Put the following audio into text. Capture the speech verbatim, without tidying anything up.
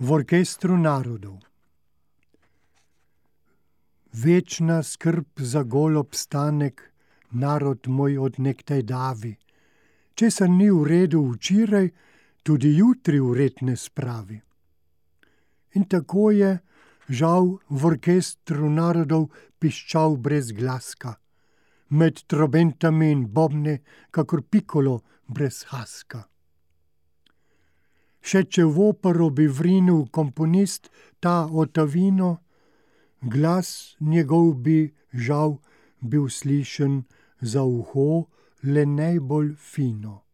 v orkestru narodov. Večna skrb za gol obstanek, narod moj od nekdaj davi. Česar ni v redu včeraj, tudi jutri v red ne spravi. In tako je, žal, v orkestru narodov piščal brez glaska, med trobentami in bobni, kakor pikolo brez haska. Še če v opero bi vrinil komponist ta Ottavino, glas njegov bi, žal, bil slišen za uho le najbolj fino.